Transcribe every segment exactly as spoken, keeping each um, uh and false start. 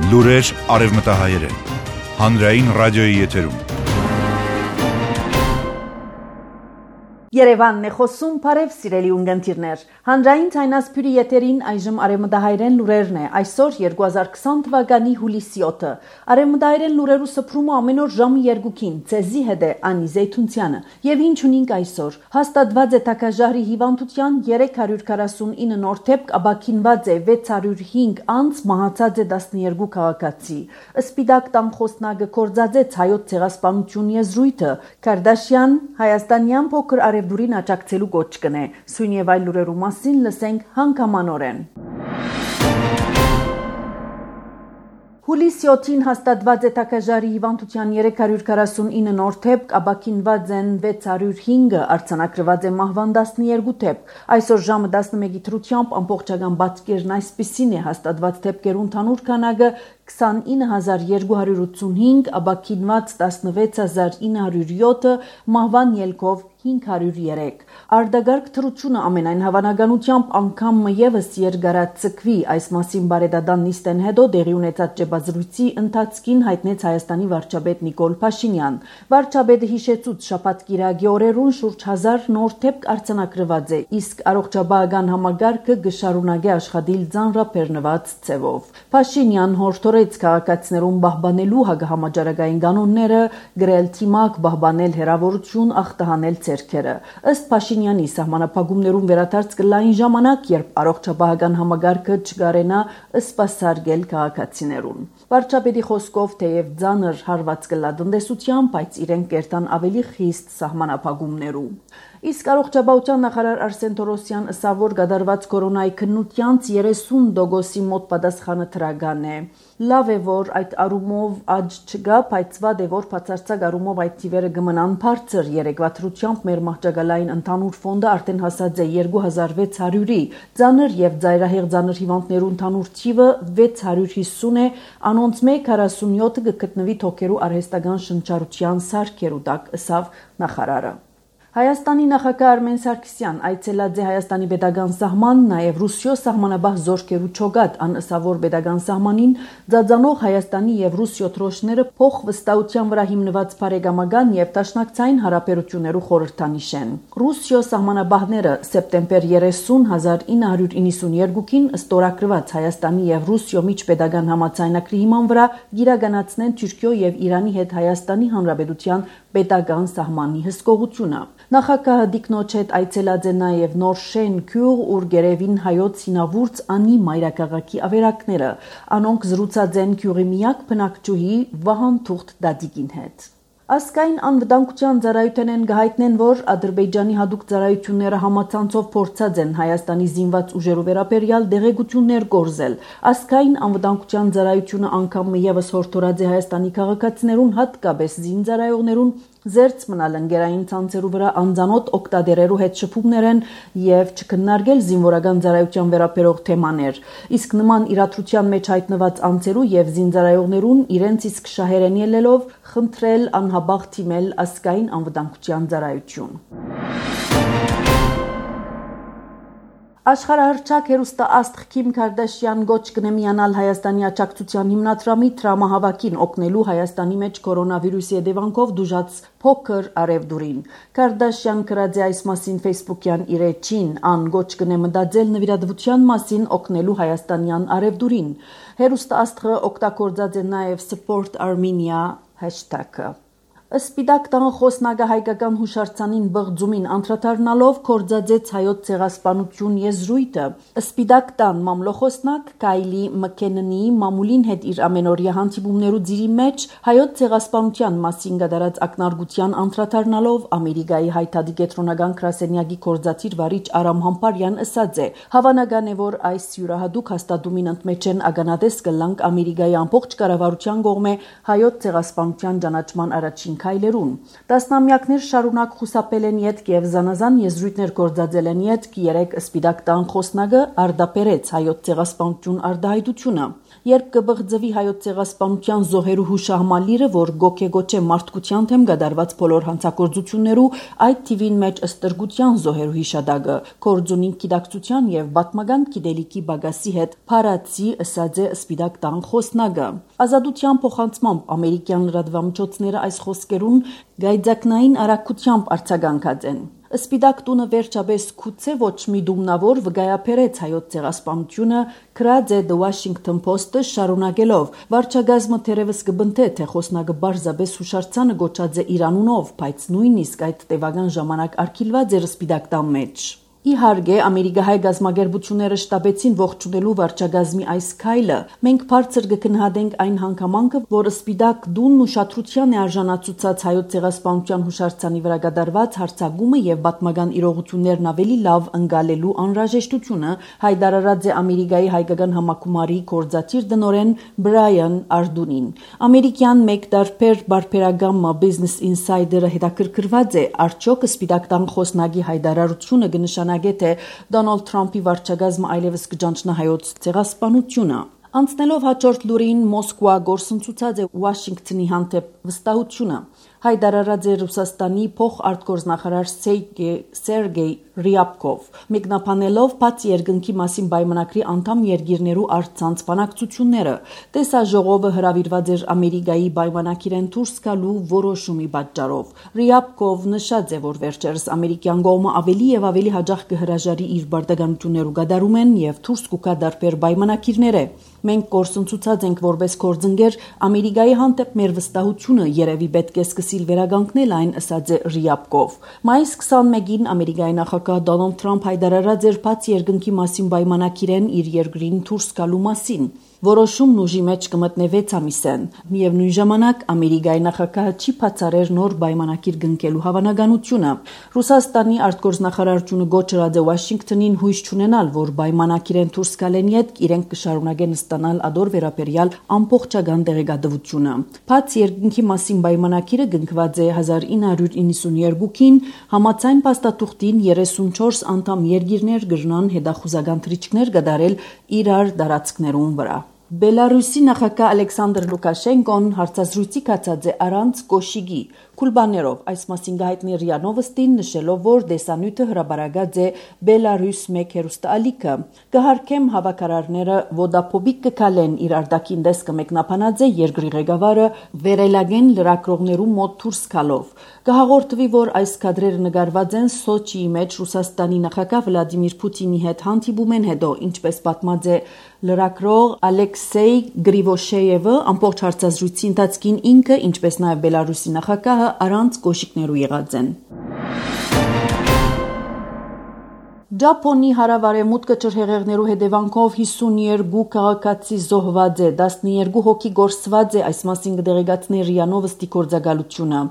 Լուրեր արևմտահայերեն։ Հանրային ռադիոյի եթերում։ Երևանն է խոսում, բարև սիրելի ունգընտիրներ։ Հանրային ցայնասփյուրի եթերին այժմ արևմտահայերեն լուրերն է։ Այսօր երկու հազար քսան թվականի հուլիսի յոթը։ Արևմտահայերեն լուրերու սփռումը ամեն օր ժամը երկուքին։ Ցեզի հետ է Անի Զեյթունցյանը։ Եվ ինչ ունենք այսօր։ Հաստատված է Թակաժարի հիվանդության երեք հարյուր քառասունինը նոր դեպք, ապաքինված է վեց հարյուր հինգ անձ, մահացած է տասնյոթ քաղաքացի։ Սպիտակ տան խոսնակը կորցածեց հայոց ցեղասպանություն եզրույթը։ Քարդաշյան Հայաստանյան փոքր արևդուրին աջակցելու կոչ կնե։ Սույն եւ այլ լուրերու մասին լսենք հանգամանորեն։ Հուլիսի յոթին հաստատված է Թակաժարի հիվանդության երեք հարյուր քառասունինը նոր դեպք, ապաքինված են վեց հարյուր հինգը, արձանագրված է մահվան տասնյոթ դեպք։ Այսօր ժամը տասնմեկի դրությամբ ամբողջական բացկերն այսպիսին է հաստատված դեպքերու ընդհանուր քանակը քսանինը հազար երկու հարյուր ութսունհինգ, ապաքինված տասնվեց հազար ինը հարյուր յոթը, մահվան ելքով հինգ հարյուր երեք։ Արդագարգ թռությունը ամենայն հավանականությամբ անգամ եւս երկարացկվի, այս մասին բարեդադան նիստեն հետո դեղի ունեցած ջբազրույցի ընթացքին հայտնեց Հայաստանի վարչապետ Նիկոլ Փաշինյան։ Վարչապետը հիշեցուց շաբաթ կիրակի օրերուն շուրջ հազար նոր դեպք արձանագրված է, իսկ առողջապահական համագարկը կշարունակի աշխատել ծանրաբեռնված ձևով։ Փաշինյան հորդորեց քաղաքացիներուն պահպանելու հակահամաճարակային կանոնները, գրել թիմակ, պահպանել հեռավորություն, ախտահանել ցերքերը։ Ըստ Փաշինյանի սահմանափակումներուն վերադարձ կլային ժամանակ, երբ առողջապահական համագարկը չկարենա սպասարկել քաղաքացիներուն։ Վարչապետի խոսքով թեև ծանր հարված կլա տնտեսության, բայց իրենք կերտան ավելի խիստ սահմանափակումներու։ Իսկ առողջապահության նախարար Արսեն Թորոսյան ըսավ, որ կատարված կորոնայի քննությանց երեսուն տոկոսի մոտ պատասխանը թրական է։ Լավ է, որ այդ առումով աճ չկա, բայց վատ է, որ բացարձակ առումով այդ թիվերը կմնան բարձր։ Երեկվա դրությամբ մեր մահճակալային ընդհանուր ֆոնդը արդեն հասած է երկու հազար վեց հարյուրի։ Ծանր եւ ծայրահեղ ծանր հիվանդներու ընդհանուր թիվը վեց հարյուր հիսուն է, անոնց մեկ քառասունյոթը կգտնվի թոքերու արհեստական շնչառության սարքերու տակ, ըսավ նախարարը։ Հայաստանի նախագահ Արմեն Սարգսյան այցելած է Հայաստանի պետական սահման, նաև Ռուսիո սահմանաբահ զորքերու չոգատ, անըսավոր պետական սահմանին ծածանող Հայաստանի եւ Ռուսիո դրոշները փոխվստահության վրա հիմնված բարեկամական եւ դաշնակցային հարաբերություններու խորհրդանիշ են։ Ռուսիո սահմանաբահները սեպտեմբեր երեսուն հազար ինը հարյուր իննսունյոթին ստորագրված Հայաստանի եւ Ռուսիո միջպետական համաձայնագրի հիման վրա իրականացնեն Թուրքիո եւ Իրանի հետ Հայաստանի Հանրապետության պետական սահմանի հսկողությունը։ Նախագահը դիկնոջ հետ այցելած է նաև նոր շեն քյուղ, ուր գերևին հայոց հինավուրց անի մայրաքաղաքի ավերակները։ Անոնք զրուցած են քյուղի միակ բնակչուհի Վահան Թուղթ Դադիկին հետ։ Ասկային անվտանգության ծառայությունեն գահիտնեն, որ Ադրբեջանի հատուկ ծառայությունները համացանցով փորձած են Հայաստանի զինված ուժերու վերաբերյալ դեղեցություններ կորզել։ Ասկային անվտանգության ծառայությունը անգամ եւս հորդորած է Հայաստանի քաղաքացիներուն, հատկապես զինծառայողներուն, զերծ մնալ ընկերային ցանցերու վրա անձանոտ օկտադերերու հետ շփումներ են եւ չքննարկել զինվորական ծառայության վերաբերող թեմաներ։ Իսկ նման իրադրության մեջ հայտնված անձերու եւ զինծառայողներուն իրենց իսկ շահերեն ելելով խնդրել անհաբաղ թիմել ասկային անվտանգության ծառայություն։ Աշխարհահռչակ հերոստաաստղ Քիմ Քարդաշյան գոչ կնե միանալ Հայաստանի աջակցության հիմնադրամի տրամահավաքին օգնելու Հայաստանի մեջ կորոնավիրուսի հետևանքով դժուժած փոքր արևդուրին։ Քարդաշյան գրած է այս մասին Facebook-յան իր էջին, ան գոչ կնե մտածել նվիրատվության մասին օգնելու հայաստանյան արևդուրին։ Հերոստաաստղը օգտագործած է նաև Support Armenia hashtag-ը։ Սպիտակ տան խոսնակը հայկական հուշարձանին բղձումին անդրադառնալով կորցածեց հայոց ցեղասպանություն եզրույթը։ Սպիտակ տան մամլոխոսնակ Կայլի Մքեննի մամուլին հետ իր ամենօրյա հանդիպումներու ծիրի մեջ հայոց ցեղասպանության մասին կատարած ակնարկության անդրադառնալով Ամերիկայի հայտարարի կենտրոնական գրասենյակի կորզաթիր վարիչ Արամ Համբարյան ասաց է. հավանական է, որ այս յուրահատուկ հաստատումին ընդմեջ են ականատես կլանք Ամերիկայի ամբողջ կառավարության կողմէ հայոց ցեղասպանության ճանաչման առաջին առաջին քայլերուն։ Տասնամյակներ շարունակ խուսափել են ետք եւ զանազան եզրույթներ գործածել են ետք երեք սպիտակ տան խոսնակը արդապերեց հայոց ցեղասպանություն արդահայտությունը։ Երբ կբղձվի հայոց ցեղասպանության զոհերու հուշահամալիրը, որ գոքեգոչե մարդկության թեմ գդարված բոլոր հանցագործություններու, այդ թիվին մեջ ըստրգության զոհերու հիշադակը, կորձունին գիտակցության եւ բատմական գիտելիքի բագասի հետ փարացի ըսած է սպիտակ տան խոսնակը։ Ազատության փոխանցմամբ ամերիկյան լրատվամիջոցները այս խոսքերուն գայձակնային արագությամբ արձագանքած են։ Սպիտակ տունը վերջապես քուցե ոչ մի դումնավոր վգայապերեց հայոց ցեղասպանությունը գրած է The Washington Post-ը շարունակելով վարչագազմը թերևս կբնթե թե խոսնակը բարձաբես հուշարձանը գոչած է Իրանունով, բայց նույնիսկ այդ տևական ժամանակ արգելված էր սպիտակ տան մեջ։ Իհարկե, ամերիկահայ գազམ་ագերբությունները շտաբեցին ողջունելու վարչագազմի այս քայլը։ Մենք բարձր կգնահատենք այն հանգամանքը, որ սպիտակ դունն ուշադրության է արժանացուցած հայոց ցեղասպանության հուշարձանի վրա կատարված հարձակումը եւ պատմական իրողություններն ավելի լավ ընկալելու անհրաժեշտությունը հայտարարած է Ամերիկայի հայկական համակումարի գործադիր դնորեն Բրայան Արդունին։ Ամերիկյան մեկ տարբեր բարբերագամը Business Insider-ը հետաքրքրված է արդյոք սպիտակ տան խոսնակի հայտարարությունը կնշանակի թե Դոնալդ Թրամփի վարչագազմը այլևս կճանչնա հայոց ցեղասպանությունը։ Անցնելով հաջորդ լուրին Մոսկվա գործընծուցած է Վաշինգտոնի հանդեպ վստահությունը։ Հայտարարած է Ռուսաստանի փոխարտգործնախարար Սերգեյ Ռիաբկով, մեկնաբանելով բացի երկնքի մասին պայմանագրի անդամ երկիրներու առցանց բանակցությունները։ Տեսաժողովը հրավիրված էր Ամերիկայի պայմանագիրեն դուրս գալու որոշումի պատճառով։ Ռիաբկով նշած է, որ վերջերս ամերիկյան կողմը ավելի եւ ավելի հաջող կհրաժարի իր բարդականություններու գդարումեն եւ դուրս կուկա դարբեր պայմանագիրները։ Մենք գործընծուցած ենք որպես գործընկեր Ամերիկայի հանդեպ մեր վստահությունը երևի պետք է սկսիլ վերագանքնել այն ըսած է Ռիաբկով։ Մայիս քսանմեկին Ամերիկայի նախագահ Դոնալդ Թրամփ հայտարարած էր բացի երկնքի մասին պայմանագիրեն իր երկրին դուրս գալու մասին։ Որոշումն ուժի մեջ կմտնե վեց ամիսեն։ Միևնույն ժամանակ Ամերիկայի նախագահը չի բացառեր նոր պայմանագիր կնքելու հավանականությունը։ Ռուսաստանի արտգործնախարարությունը գոչրած է Վաշինգտոնին հույս չունենալ, որ պայմանագիրեն դուրս գալեն յետք իրենք կշարունակեն ստանալ ադոր վերաբերյալ ամբողջական տեղեկատվությունը։ Բացի երկնքի մասին պայմանագիրը կնքված է հազար ինը հարյուր իննսունյոթին համաձայն փաստաթուղթին երեսունչորս անդամ երկիրներ կրնան հետախուզական թռիչքներ կատարել իրար տարածքներուն վրա։ Բելարուսի նախագահ Ալեքսանդր Լուկաշենկոն հարցազրույցի կացած է առանց կոշիկի Կուլբաներով այս մասին գահիտնի ՌԻԱ Նովոստին նշելով, որ դեսանյութը հրաբարագած է Բելարուս մեկ հեռուստաալիքը։ Կհարկեմ հավաքարարները Ոդապոբիկ կքալեն իր արտաքին դեսկը մեկնաբանած է երկրի ղեկավարը վերելագեն լրագրողներու մոտ դուրս գալով։ Կհաղորդվի, որ այս կադրերը նկարված են Սոչիի մեջ Ռուսաստանի նախագահ Վլադիմիր Պուտինի հետ հանդիպումեն հետո, ինչպես պատմած է լրագրող Ալեքսեյ Գրիվոշեևը, ամբողջ հարցազրույցի ընթացքին ինքը, ինչպես նաև Բելարուսի նախագահը առանց կոշիկներու եղած են։ Ճապոնի հարավարեմուտքը ջրհեղեղներու հետևանքով հիսունյոթ քաղաքացի զոհված է, տասնյոթ հոգի գործված է, այս մասին կդեղեկացնի ՌԻԱ Նովոստի գործակալությունը։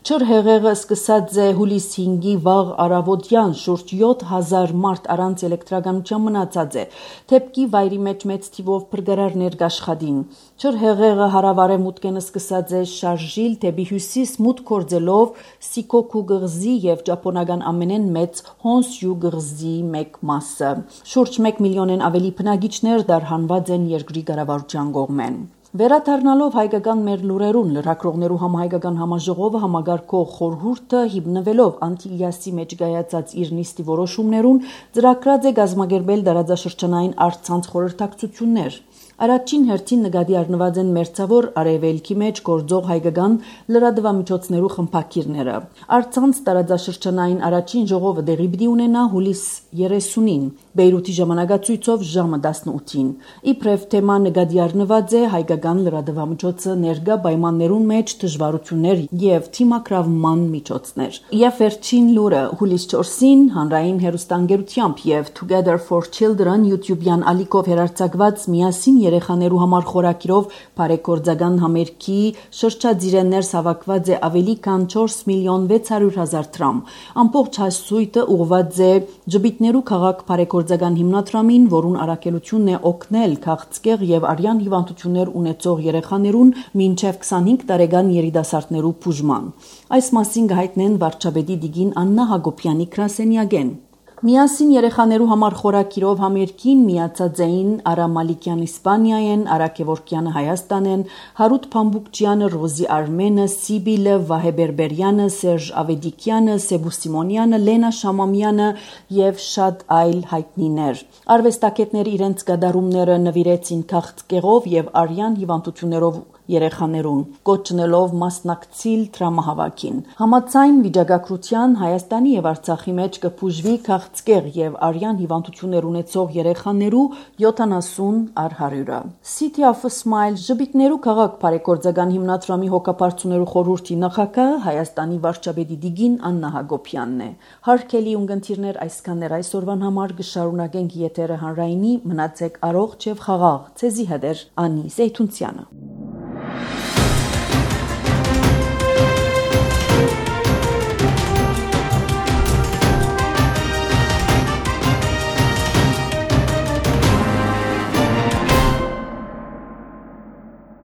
Ջրհեղեղը սկսած է հուլիս հինգի վաղ առավոտյան, շուրջ յոթ հազար մարդ առանց էլեկտրականության մնացած է։ Թեփքի վայրի մեջ մեծ թիվով փրկարարներ կաշխատին։ Ջրհեղեղը հարավարեմուտքեն սկսած է շարժիլ դեպի հյուսիս մուտք գործելով Սիկոկու գղզի եւ ճապոնական ամենեն մեծ Հոնսյու գղզի մեկ մասը։ Շուրջ մեկ միլիոնեն ավելի բնակիչներ դարհանված են երկրի կառավարության կողմեն։ Վերադառնալով հայկական մեր լուրերուն, լրագրողներու համահայկական համաժողովը համագարկող խորհուրդը հիմնվելով Անտիլիասի մեջ կայացած իր նիստի որոշումներուն ծրագրած է կազմակերպել տարածաշրջանային առցանց խորհրդակցություններ։ Առաջին հերթին նկատի առնված են մերձավոր արևելքի մեջ գործող հայկական լրատվամիջոցներու խմբակիրները։ Առցանց տարածաշրջանային առաջին ժողովը դեղի պիտի ունենա հուլիս երեսունին, Բեյրութի ժամանակացույցով ժամը տասնութին։ Իբրև թեմա նկատի առնված է հայկական լրատվամիջոցը ներկա պայմաններուն մեջ դժվարություններ եւ թիմակրավման միջոցներ։ Եվ վերջին լուրը հուլիս չորսին հանրային հեռուստաընկերությամբ եւ Together for Children YouTube-յան ալիքով հերարցակված միասին երեխաներու համար խորակիրով բարեգործական համերգի շրջաձիրը ներս հավաքված է ավելի քան չորս միլիոն վեց հարյուր հազար դրամ։ Ամբողջ հասույթը ուղղված է Ջբիթներու քաղաք բարեգործական հիմնադրամին, որուն առաքելությունն է օգնել քաղցկեղ եւ արյան հիվանդություններ ունեցող երեխաներուն մինչեւ քսանհինգ տարեկան երիտասարդներու բուժման։ Այս մասին կհայտնեն վարչապետի Տիգին Աննա Հակոբյանի գրասենյակեն։ Միասին երեխաներու համար խորակիրով համերգին միացած էին Արա Մալիկյանը Իսպանիայեն, Արա Գևորգյանը Հայաստանեն, Հարութ Փամբուկչյանը, Ռոզի Արմենը, Սիբիլը, Վահե Բերբերյանը, Սերժ Ավեդիկյանը, Սեբու Սիմոնյանը, Լենա Շամամյանը եւ շատ այլ հայտնիներ։ Արվեստագետները իրենց գդարումները նվիրեցին քաղցկեղով եւ արյան հիվանդություններով երեխաներուն, կոչնելով մասնակցիլ դրամահավաքին։ Համաձայն վիճակագրության Հայաստանի եւ Արցախի մեջ կփուժվի քաղցկեղ եւ արյան հիվանդություններ ունեցող երեխաներու յոթանասուն առ հարյուրը։ City of a Smile Ջբիթներու քաղաք բարեգործական հիմնադրամի հոգապարծուներու խորհրդի նախագահ Հայաստանի վարչապետի Տիգին Աննա Հակոբյանն է։ Հարգելի ունկնդիրներ, այսքաններ այսօրվան համար կշարունակենք եթերը հանրայինի, մնացեք առողջ եւ խաղաղ։ Ցեզի հետ է Անի Զեյթունցյանը։